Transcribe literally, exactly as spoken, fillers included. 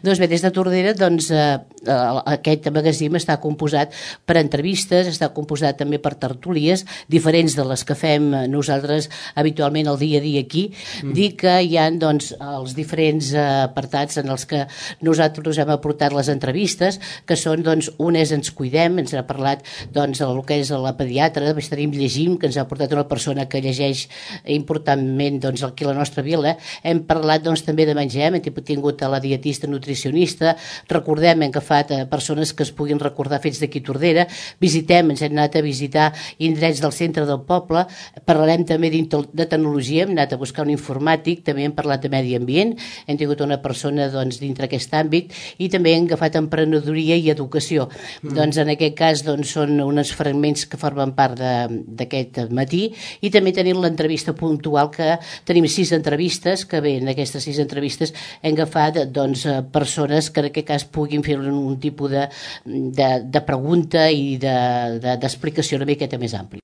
Doncs bé, des de Tordera, doncs, eh, aquest magazín està composat per entrevistes, està composat també per tertúlies, diferents de les que fem nosaltres habitualment el dia a dia aquí. Mm. Dic que hi ha doncs, els diferents apartats en els que nosaltres hem aportat les entrevistes, que són, doncs, un és Ens Cuidem, ens ha parlat doncs, del que és la pediatra, després tenim Llegim, que ens ha portat una persona que llegeix importantment doncs, aquí a la nostra vila. Hem parlat doncs, també de menjar, hem tingut a la dietista nutricionista, recordem, hem agafat a persones que es puguin recordar fets d'aquí Tordera, visitem, ens hem anat a visitar indrets del centre del poble, parlarem també de tecnologia, hem anat a buscar un informàtic, també hem parlat de medi ambient, hem tingut una persona doncs, dintre aquest àmbit, i també hem agafat emprenedoria i educació. Mm. Doncs en aquest cas doncs, són uns fragments que formen part d'aquest matí, i també tenim l'entrevista puntual, que tenim sis entrevistes, que bé, en aquestes sis entrevistes hem agafat doncs, persones que en aquest cas puguin fer un, un tipus de, de, de pregunta i d'explicació de, de, una miqueta més àmplia.